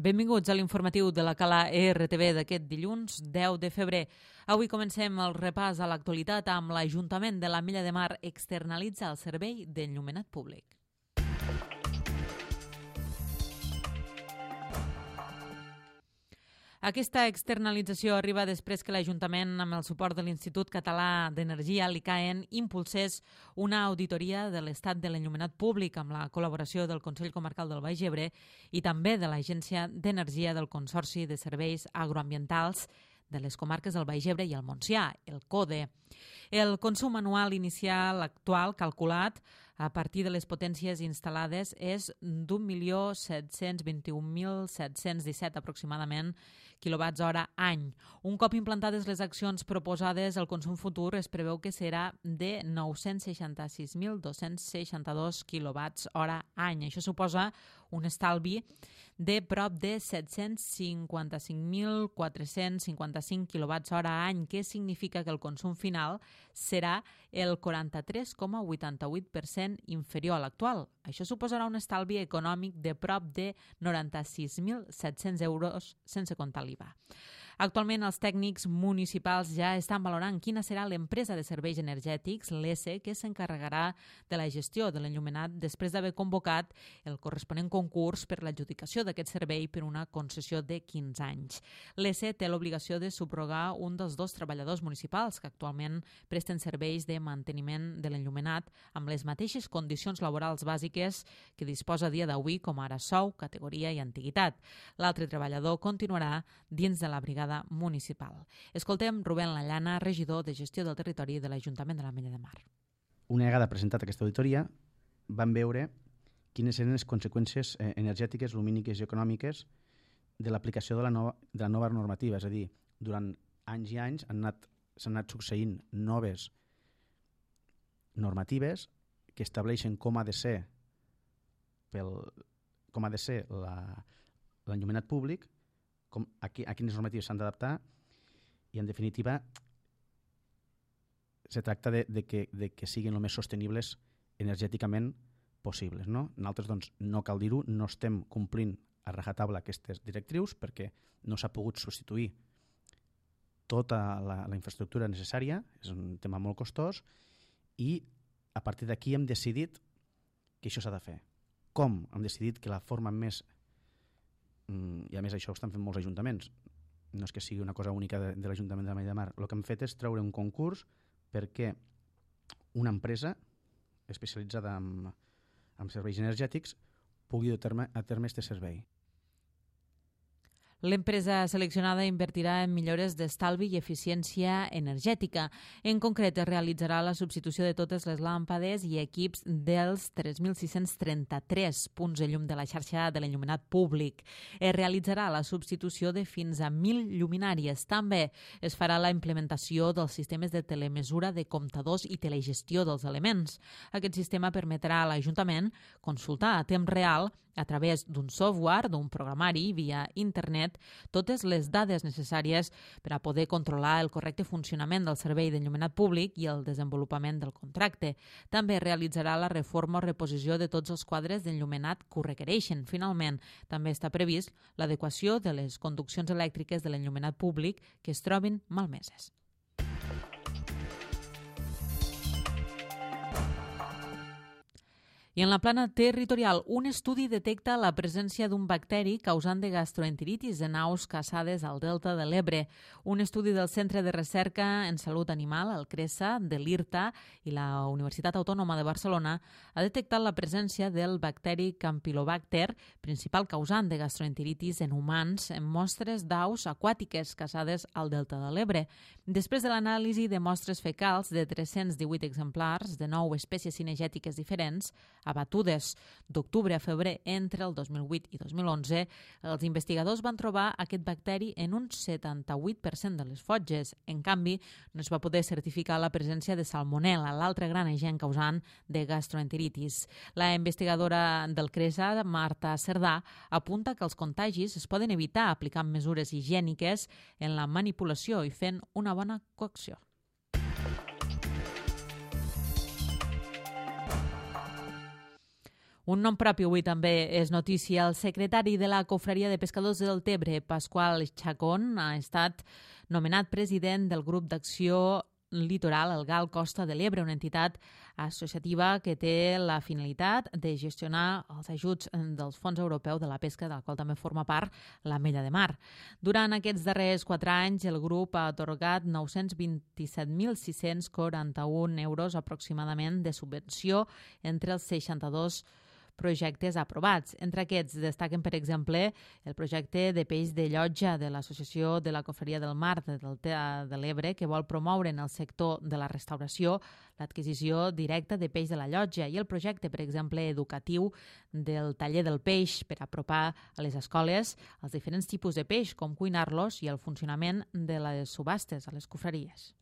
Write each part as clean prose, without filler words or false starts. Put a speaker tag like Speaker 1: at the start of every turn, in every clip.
Speaker 1: Benvinguts a l'informatiu de la Cala ERTV d'aquest dilluns 10 de febrer. Avui comencem el repàs a l'actualitat amb l'Ajuntament de l'Ametlla de Mar externalitza el servei d'enllumenat públic. Aquesta externalització arriba després que l'Ajuntament, amb el suport de l'Institut Català d'Energia, l'ICAEN, impulsés una auditoria de l'estat de l'enllumenat públic amb la col·laboració del Consell Comarcal del Baix Ebre i també de l'Agència d'Energia del Consorci de Serveis Agroambientals de les comarques del Baix Ebre i el Montsià, el CODE. El consum anual inicial actual calculat a partir de les potències instal·lades és d'1.721.717 aproximadament quilowatts-hora any. Un cop implantades les accions proposades, el consum futur es preveu que serà de 966.262 quilowatts-hora any. Això suposa un estalvi de prop de 755.455 quilowatts-hora any, que significa que el consum final serà el 43,88% inferior a l'actual. Això suposarà un estalvi econòmic de prop de 96.700 euros sense comptar l'IVA. Actualment, els tècnics municipals ja estan valorant quina serà l'empresa de serveis energètics, l'ESE, que s'encarregarà de la gestió de l'enllumenat després d'haver convocat el corresponent concurs per l'adjudicació d'aquest servei per una concessió de 15 anys. L'ESE té l'obligació de subrogar un dels dos treballadors municipals que actualment presten serveis de manteniment de l'enllumenat amb les mateixes condicions laborals bàsiques que disposa a dia d'avui, com ara sou, categoria i antiguitat. L'altre treballador continuarà dins de la brigada municipal. Escoltem Rubén Lallana, regidor de Gestió del Territori de l'Ajuntament de l'Ametlla de Mar.
Speaker 2: Una vegada presentat aquesta auditoria, vam veure quines eren les conseqüències energètiques, lumíniques i econòmiques de l'aplicació de la nova normativa. És a dir, durant anys i anys s'han anat succeint noves normatives que estableixen com ha de ser l'enllumenat públic, a quines normatives s'han d'adaptar, i en definitiva se tracta de que siguin el més sostenibles energèticament possibles. Nosaltres, doncs, no cal dir-ho, no estem complint a rajatabla aquestes directrius perquè no s'ha pogut substituir tota la infraestructura necessària, és un tema molt costós, i a partir d'aquí hem decidit que això s'ha de fer. Com? Hem decidit que la forma més, i a més això ho estan fent molts ajuntaments, no és que sigui una cosa única de l'Ajuntament de l'Ametlla de Mar, el que hem fet és treure un concurs perquè una empresa especialitzada en serveis energètics pugui dur a terme aquest servei.
Speaker 1: L'empresa seleccionada invertirà en millores d'estalvi i eficiència energètica. En concret, es realitzarà la substitució de totes les làmpades i equips dels 3.633 punts de llum de la xarxa de l'enllumenat públic. Es realitzarà la substitució de fins a 1.000 lluminàries. També es farà la implementació dels sistemes de telemesura de comptadors i telegestió dels elements. Aquest sistema permetrà a l'Ajuntament consultar a temps real, a través d'un software, d'un programari, via internet, totes les dades necessàries per a poder controlar el correcte funcionament del servei d'enllumenat públic i el desenvolupament del contracte. També realitzarà la reforma o reposició de tots els quadres d'enllumenat que ho requereixen. Finalment, també està previst l'adequació de les conduccions elèctriques de l'enllumenat públic que es trobin malmeses. I en la plana territorial, un estudi detecta la presència d'un bacteri causant de gastroenteritis en aus caçades al delta de l'Ebre. Un estudi del Centre de Recerca en Salut Animal, el CRESA, de l'IRTA i la Universitat Autònoma de Barcelona ha detectat la presència del bacteri Campylobacter, principal causant de gastroenteritis en humans, en mostres d'aus aquàtiques caçades al delta de l'Ebre. Després de l'anàlisi de mostres fecals de 318 exemplars de 9 espècies cinegètiques diferents, abatudes d'octubre a febrer entre el 2008 i 2011, els investigadors van trobar aquest bacteri en un 78% de les fotges. En canvi, no es va poder certificar la presència de salmonel·la, l'altre gran agent causant de gastroenteritis. La investigadora del CRESA, Marta Cerdà, apunta que els contagis es poden evitar aplicant mesures higièniques en la manipulació i fent una bona cocció. Un nom propi avui també és notícia. El secretari de la Confraria de Pescadors del Tebre, Pasqual Chacón, ha estat nomenat president del grup d'acció litoral, el GAL Costa de l'Ebre, una entitat associativa que té la finalitat de gestionar els ajuts dels fons europeus de la pesca, del qual també forma part l'Ametlla de Mar. Durant aquests darrers 4 anys, el grup ha atorgat 927.641 euros aproximadament de subvenció entre els 62 projectes aprovats. Entre aquests destaquen, per exemple, el projecte de peix de llotja de l'Associació de la Confraria del Mar del Delta de l'Ebre, que vol promoure en el sector de la restauració l'adquisició directa de peix de la llotja, i el projecte, per exemple, educatiu del taller del peix per apropar a les escoles els diferents tipus de peix, com cuinar-los, i el funcionament de les subhastes a les confraries.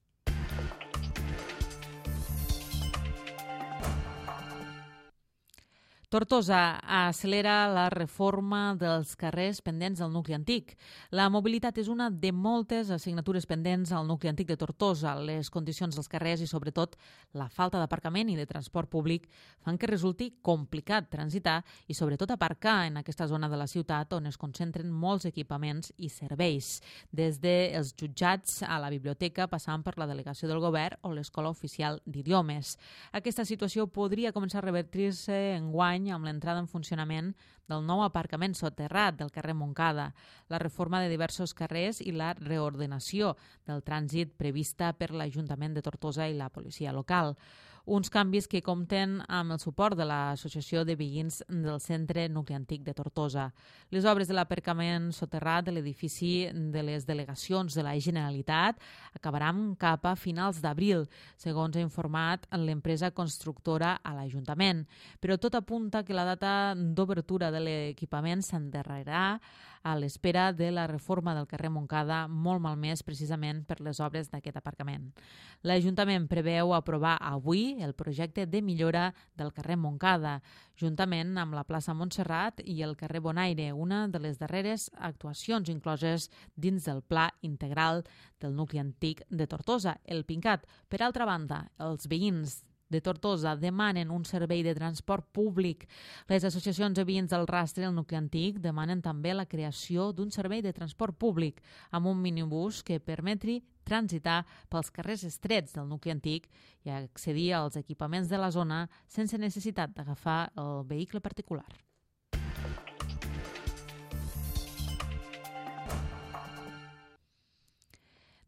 Speaker 1: Tortosa accelera la reforma dels carrers pendents del nucli antic. La mobilitat és una de moltes assignatures pendents al nucli antic de Tortosa. Les condicions dels carrers i, sobretot, la falta d'aparcament i de transport públic fan que resulti complicat transitar i, sobretot, aparcar en aquesta zona de la ciutat on es concentren molts equipaments i serveis, des dels jutjats a la biblioteca, passant per la delegació del govern o l'Escola Oficial d'Idiomes. Aquesta situació podria començar a revertir-se enguany amb l'entrada en funcionament del nou aparcament soterrat del carrer Montcada, la reforma de diversos carrers i la reordenació del trànsit prevista per l'Ajuntament de Tortosa i la policia local. Uns canvis que compten amb el suport de l'Associació de Veïns del Centre Nucli Antic de Tortosa. Les obres de l'aparcament soterrat de l'edifici de les delegacions de la Generalitat acabaran cap a finals d'abril, segons ha informat l'empresa constructora a l'Ajuntament. Però tot apunta que la data d'obertura de l'equipament s'endarrerà a l'espera de la reforma del carrer Montcada, molt malmès precisament per les obres d'aquest aparcament. L'Ajuntament preveu aprovar avui el projecte de millora del carrer Montcada, juntament amb la plaça Montserrat i el carrer Bonaire, una de les darreres actuacions incloses dins del Pla Integral del Nucli Antic de Tortosa, el PINCAT. Per altra banda, els veïns de Tortosa demanen un servei de transport públic. Les associacions de veïns del rastre del nucli antic demanen també la creació d'un servei de transport públic amb un minibús que permetri transitar pels carrers estrets del nucli antic i accedir als equipaments de la zona sense necessitat d'agafar el vehicle particular.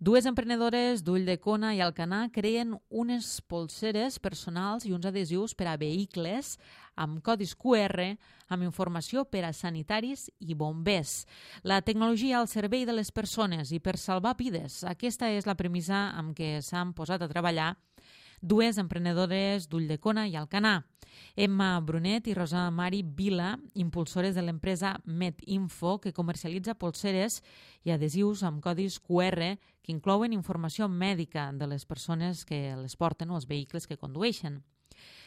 Speaker 1: Dues emprenedores d'Ulldecona i Alcanar creen unes polseres personals i uns adhesius per a vehicles amb codis QR amb informació per a sanitaris i bombers. La tecnologia al servei de les persones i per salvar vides. Aquesta és la premissa amb què s'han posat a treballar dues emprenedores d'Ulldecona i Alcanar. Emma Brunet i Rosa Mari Vila, impulsores de l'empresa MedInfo, que comercialitza polseres i adhesius amb codis QR que inclouen informació mèdica de les persones que les porten o els vehicles que condueixen.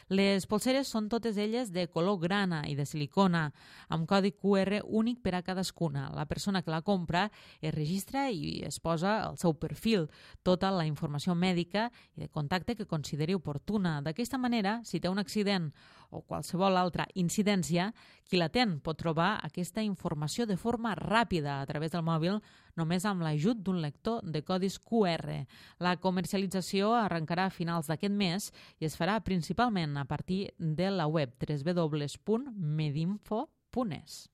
Speaker 1: Les polseres són totes elles de color grana i de silicona, amb codi QR únic per a cadascuna. La persona que la compra es registra i es posa el seu perfil, tota la informació mèdica i de contacte que consideri oportuna. D'aquesta manera, si té un accident o qualsevol altra incidència, qui l'atén pot trobar aquesta informació de forma ràpida a través del mòbil, només amb l'ajut d'un lector de codis QR. La comercialització arrencarà a finals d'aquest mes i es farà principalment a partir de la web www.medinfo.es.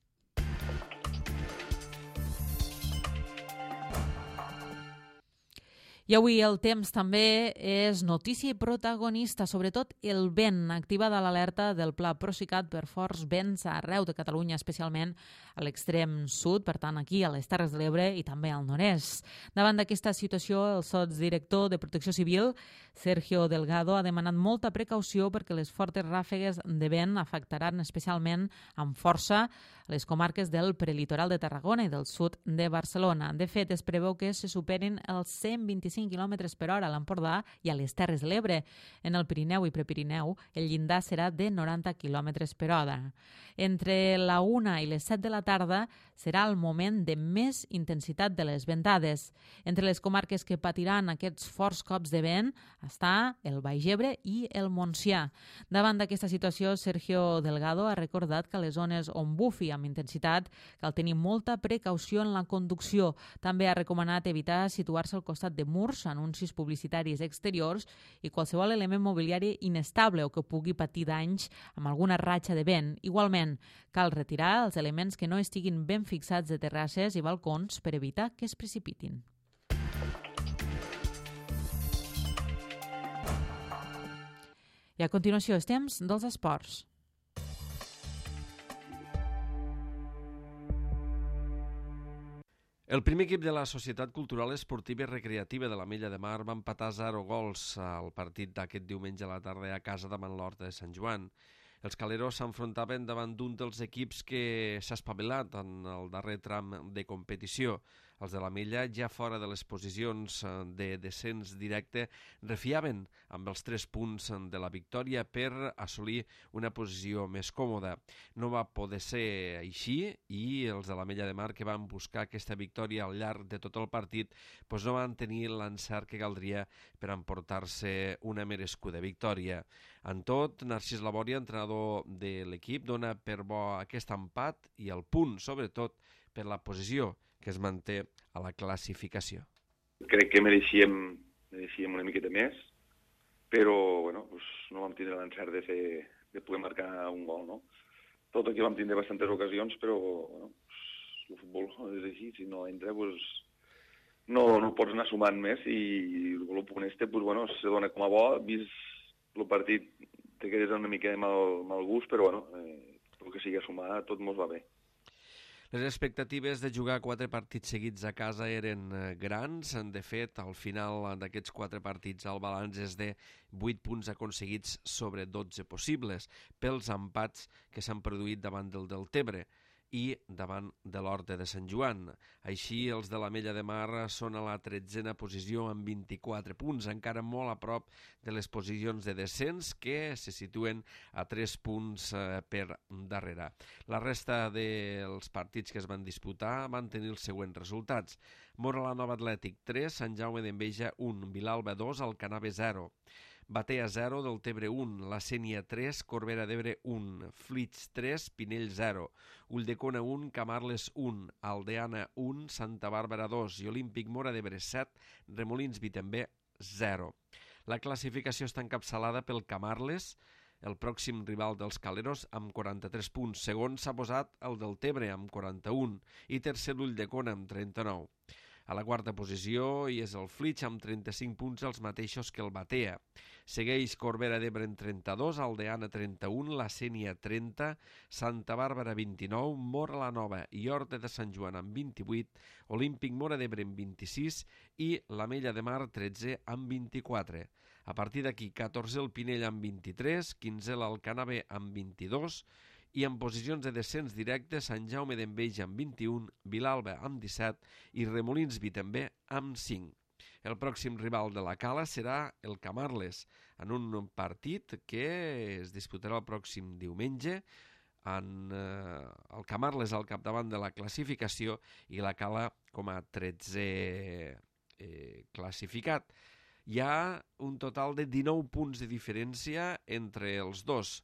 Speaker 1: I avui el temps també és notícia i protagonista, sobretot el vent. Activada l'alerta del Pla Procicat per forts vents arreu de Catalunya, especialment a l'extrem sud, per tant aquí a les Terres de l'Ebre i també al nord-est. Davant d'aquesta situació, el sotsdirector de Protecció Civil, Sergio Delgado, ha demanat molta precaució perquè les fortes ràfegues de vent afectaran especialment amb força a les comarques del prelitoral de Tarragona i del sud de Barcelona. De fet, es preveu que se superin els 125 km per hora a l'Empordà i a les Terres de l'Ebre. En el Pirineu i Prepirineu, el llindar serà de 90 km per hora. Entre la 1 i les 7 de la tarda serà el moment de més intensitat de les ventades. Entre les comarques que patiran aquests forts cops de vent està el Baix Ebre i el Montsià. Davant d'aquesta situació, Sergio Delgado ha recordat que a les zones on bufi amb intensitat cal tenir molta precaució en la conducció. També ha recomanat evitar situar-se al costat de murs, anuncis publicitaris exteriors i qualsevol element mobiliari inestable o que pugui patir danys amb alguna ratxa de vent. Igualment, cal retirar els elements que no estiguin ben fixats de terrasses i balcons per evitar que es precipitin. I a continuació, els temps dels esports.
Speaker 3: El primer equip de la Societat Cultural Esportiva i Recreativa de l'Ametlla de Mar va empatar 0 gols al partit d'aquest diumenge a la tarda a casa davant l'Horta de Sant Joan. Els caleros s'enfrontaven davant d'un dels equips que s'ha espavilat en el darrer tram de competició. Els de l'Ametlla, ja fora de les posicions de descens directe, refiaven amb els 3 punts de la victòria per assolir una posició més còmoda. No va poder ser així i els de l'Ametlla de Mar, que van buscar aquesta victòria al llarg de tot el partit, doncs no van tenir l'encert que caldria per emportar-se una merescuda victòria. En tot, Narcís Labòria, entrenador de l'equip, dona per bo aquest empat i el punt, sobretot, per la posició que es manté a la classificació.
Speaker 4: Crec que mereixíem una miqueta més, però bueno, no vam tindre l'encert de poder marcar un gol, no? Tot aquí vam tindre bastantes ocasions, però bueno, el futbol és així, si no entra, no pots anar sumant més i el punt se dona com a bo, vist el partit te quedes una mica de mal gust, però bueno, el que sigui a sumar tot mos va bé.
Speaker 3: Les expectatives de jugar 4 partits seguits a casa eren grans. De fet, al final d'aquests 4 partits el balanç és de 8 punts aconseguits sobre 12 possibles pels empats que s'han produït davant del Deltebre i davant de l'Horta de Sant Joan. Així, els de l'Ametlla de Mar són a la 13a posició amb 24 punts, encara molt a prop de les posicions de descens que se situen a 3 punts per darrere. La resta dels partits que es van disputar van tenir els següents resultats. Móra la Nova Atlètic 3, Sant Jaume d'Enveja 1, Vilalba 2, Alcanave 0. Batea 0, Deltebre 1, La Sénia 3, Corbera d'Ebre 1, Flix 3, Pinell 0, Ulldecona 1, Camarles 1, Aldeana 1, Santa Bàrbara 2 i Olímpic Móra d'Ebre 7, Remolins Vitembé 0. La classificació està encapçalada pel Camarles, el pròxim rival dels caleros, amb 43 punts. Segon s'ha posat el Deltebre amb 41 i tercer l'Ulldecona amb 39. A la quarta posició hi és el Flix amb 35 punts, els mateixos que el Batea. Segueix Corbera d'Ebre en 32, Aldeana 31, La Sénia 30, Santa Bàrbara 29, Móra la Nova i Horta de Sant Joan amb 28, Olímpic Móra d'Ebre amb 26 i l'Ametlla de Mar 13 amb 24. A partir d'aquí, 14 el Pinell amb 23, 15 l'Alcanave amb 22 i en posicions de descens directe Sant Jaume d'Enveja amb 21, Vilalba amb 17 i Remolins Vitembé amb 5. El pròxim rival de la Cala serà el Camarles, en un partit que es disputarà el pròxim diumenge, amb el Camarles al capdavant de la classificació i la Cala com a 13è classificat. Hi ha un total de 19 punts de diferència entre els dos.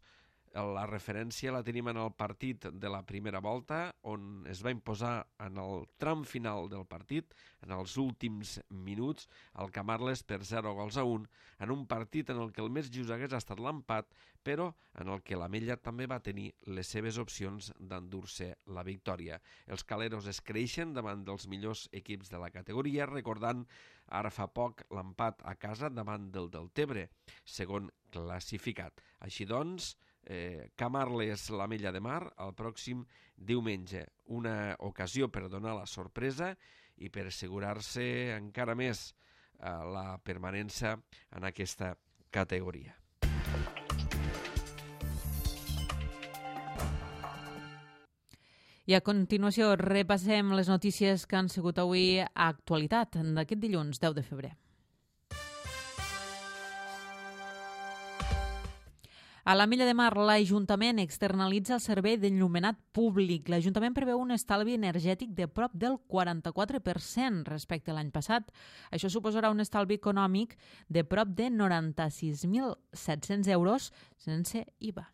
Speaker 3: La referència la tenim en el partit de la primera volta, on es va imposar en el tram final del partit, en els últims minuts, el Camarles per 0-1, en un partit en el que el més just hagués estat l'empat, però en el que l'Ametlla també va tenir les seves opcions d'endur-se la victòria. Els caleros es creixen davant dels millors equips de la categoria, recordant ara fa poc l'empat a casa davant del Deltebre, segon classificat. Així doncs, Camarles l'Ametlla de Mar el pròxim diumenge. Una ocasió per donar la sorpresa i per assegurar-se encara més la permanència en aquesta categoria.
Speaker 1: I a continuació repassem les notícies que han sigut avui a actualitat d'aquest dilluns 10 de febrer. A l'Ametlla de Mar, l'Ajuntament externalitza el servei d'enllumenat públic. L'Ajuntament preveu un estalvi energètic de prop del 44% respecte a l'any passat. Això suposarà un estalvi econòmic de prop de 96.700 euros sense IVA.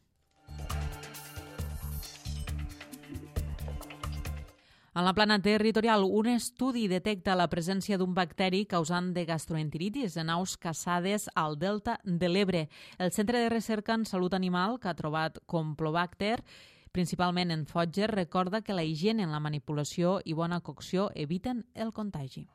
Speaker 1: En la plana territorial, un estudi detecta la presència d'un bacteri causant de gastroenteritis en aus caçades al delta de l'Ebre. El Centre de Recerca en Salut Animal, que ha trobat Campylobacter, principalment en fotges, recorda que la higiene en la manipulació i bona cocció eviten el contagi.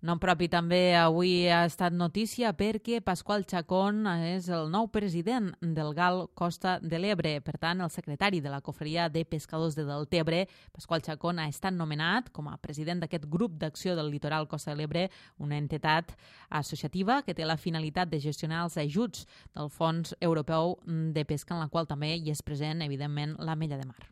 Speaker 1: Nom propi també avui ha estat notícia perquè Pasqual Chacón és el nou president del GAL Costa de l'Ebre. Per tant, el secretari de la Cofreria de Pescadors de Deltebre, Pasqual Chacón, ha estat nomenat com a president d'aquest grup d'acció del litoral Costa de l'Ebre, una entitat associativa que té la finalitat de gestionar els ajuts del Fons Europeu de Pesca, en la qual també hi és present, evidentment, l'Ametlla de Mar.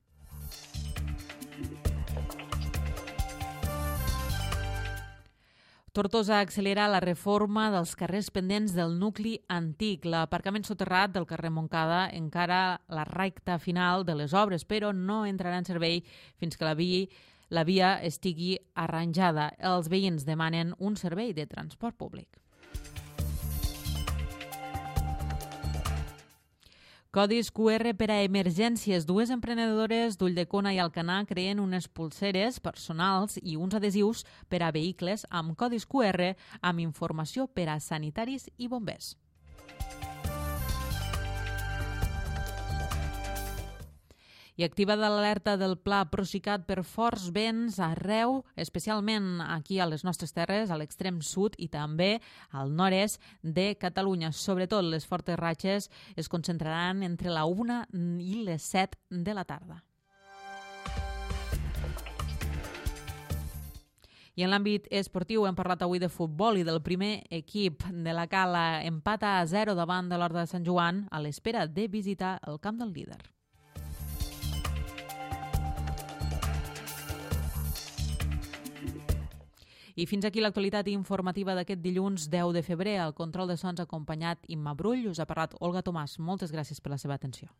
Speaker 1: Tortosa accelera la reforma dels carrers pendents del nucli antic. L'aparcament soterrat del carrer Montcada encara la recta final de les obres, però no entrarà en servei fins que la via estigui arranjada. Els veïns demanen un servei de transport públic. Codis QR per a emergències. Dues emprenedores d'Ulldecona i Alcanar creen unes pulseres personals i uns adhesius per a vehicles amb codis QR amb informació per a sanitaris i bombers. I activada l'alerta del Pla Procicat per forts vents arreu, especialment aquí a les nostres terres, a l'extrem sud i també al nord-est de Catalunya. Sobretot les fortes ratxes es concentraran entre la 1 i les 7 de la tarda. I en l'àmbit esportiu hem parlat avui de futbol i del primer equip de la Cala. Empata a 0 davant de l'Horta de Sant Joan a l'espera de visitar el camp del líder. I fins aquí l'actualitat informativa d'aquest dilluns 10 de febrer. Al control de sons acompanyat Imma Brull. Us ha parlat Olga Tomàs. Moltes gràcies per la seva atenció.